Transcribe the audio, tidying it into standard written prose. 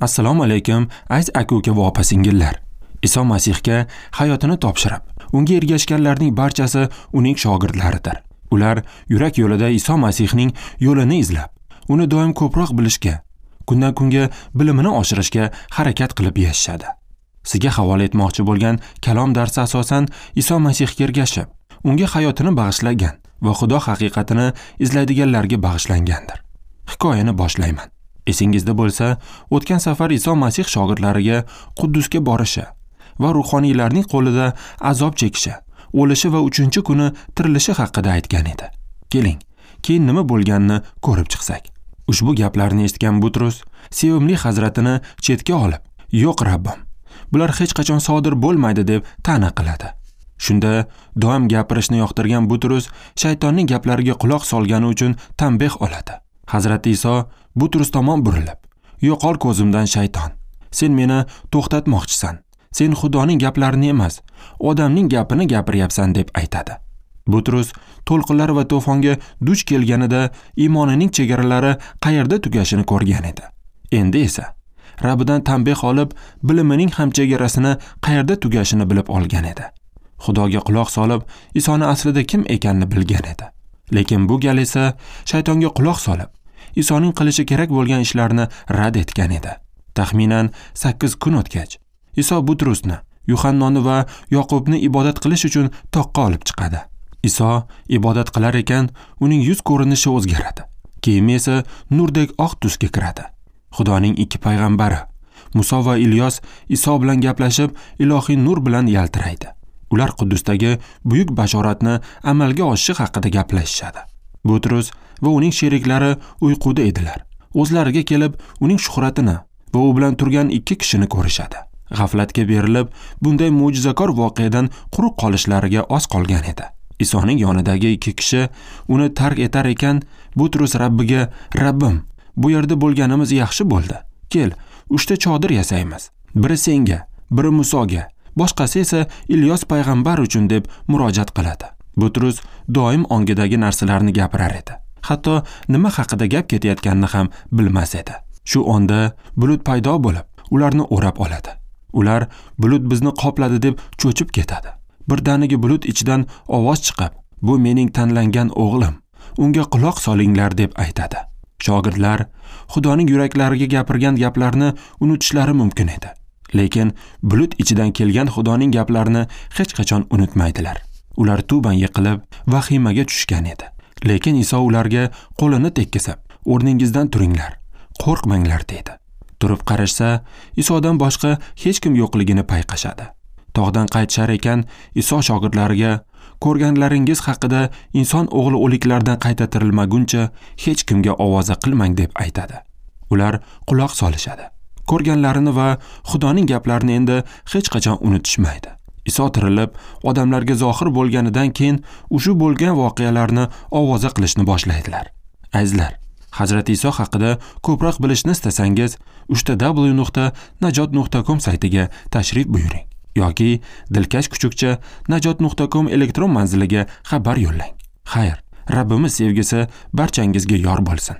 Assalomu alaykum, aziz aka-uka va opa-singillar. Iso Masihga hayotini topshirib, unga ergashganlarning barchasi uning shogirdlaridir. Ular yurak yo'lida Iso Masihning yo'lini izlab, uni doim ko'proq bilishga, kundan kunga bilimini oshirishga harakat qilib yashashadi. Sizga havola etmoqchi bo'lgan kalom darsi asosan Iso Masihga ergashib, unga hayotini bag'ishlagan va Xudo haqiqatini izlaydiganlarga bag'ishlangandir. Hikoyani boshlayman. Esingizda bo'lsa, o'tgan safar Iso Masih shogirdlariga Quddusga borishi va ruhoniylarning qo'lida azob chekishi, o'lishi va 3-kuni tirilishi haqida aytgan edi. Keling, keyin nima bo'lganini ko'rib chiqsak. Ushbu gaplarni eshitgan Butrus sevimli hazratini chetga olib, "Yo'q, Rabbim, bular hech qachon sodir bo'lmaydi" deb ta'na qiladi. Shunda doim gapirishni yoqtirgan Butrus shaytonning gaplariga quloq solgani uchun tanbeh oladi. Hazrati Iso Butrus tomon burilib, "Yo'qol ko'zimdan shayton. Sen meni to'xtatmoqchisan. Sen Xudoning gaplarini emas, odamning gapini gapiryapsan" deb aytadi. Butrus to'lqinlar va to'fonga duch kelganida iymonining chegaralari qayerda tugashini ko'rgan edi. Endi esa Rabbidan tanbeh olib, bilimining ham chegarasini qayerda tugashini bilib olgan edi. Xudoga quloq solib, Isoni aslida kim ekanini bilgan edi. Lekin bu gal esa shaytonga quloq solib, Isoning qilishi kerak bo'lgan ishlarni rad etgan edi. Taxminan 8 kun o'tgach, Iso Butrusni, Yuhannoni va Yoqubni ibodat qilish uchun toqqa olib chiqadi. Iso ibodat qilar ekan, uning yuz ko'rinishi o'zgaradi. Kiyimi esa nurdek oq tusga kiradi. Xudoning ikki payg'ambari, Muso va Ilyos Iso bilan gaplashib, ilohiy nur bilan yaltiraydi. Ular Quddusdagi buyuk bashoratni amalga oshishi haqida gaplashishadi. Butrus va uning sheriklari uyquda edilar. O'zlariga kelib, uning shuhratini va u bilan turgan ikki kishini ko'rishadi. G'aflatga berilib, bunday mo'jizakor voqeadan quruq qolishlariga oz qolgan edi. Isoning yonidagi ikki kishi uni tark etar ekan, Butrus Rabbiga, "Rabbim, bu yerda bo'lganimiz yaxshi bo'ldi. Kel, 3 ta chodir yasaymiz. Biri senga, biri Musoga, boshqasi esa Ilyos payg'ambar uchun" deb murojaat qiladi. Butrus doim ongidagi narsalarni gapirar edi. Hatto nima haqida gap ketayotganini ham bilmas edi. Shu onda bulut paydo bo'lib, ularni o'rab oladi. Ular bulut bizni qopladi deb cho'chib ketadi. Birdaniga bulut ichidan ovoz chiqib, "Bu mening tanlangan o'g'lim, unga quloq solinglar" deb aytadi. Shogirdlar Xudoning yuraklariga gapirgan gaplarni unutishlari mumkin edi. Lekin bulut ichidan kelgan Xudoning gaplarini hech qachon unutmaydilar. Ular tuban yiqilib, vahimaga tushgan edi. Lekin Iso ularga qo'lini tekkizib, "O'rningizdan turinglar, qo'rqmanglar" dedi. Turib qarashsa, Isodan boshqa hech kim yo'qligini payqashadi. Tog'dan qaytishar ekan, Iso shogirdlariga, "Ko'rganlaringiz haqida inson o'g'li o'liklardan qayta tirilmaguncha hech kimga ovoza qilmang" deb aytadi. Ular quloq solishadi. Ko'rganlarini va Xudoning gaplarini endi hech qachon unutishmaydi. Iso tirilib, odamlarga zohir bo'lganidan keyin ushu bo'lgan voqealarni ovoza qilishni boshlaydilar. Azizlar, Hazrati Iso haqida ko'proq bilishni istasangiz, www.najot.com saytiga tashrif buyuring yoki dilkash kuchukcha najot.com elektron manziliga xabar yo'llang. Xayr, Rabbimiz sevgisi barchangizga yor bo'lsin.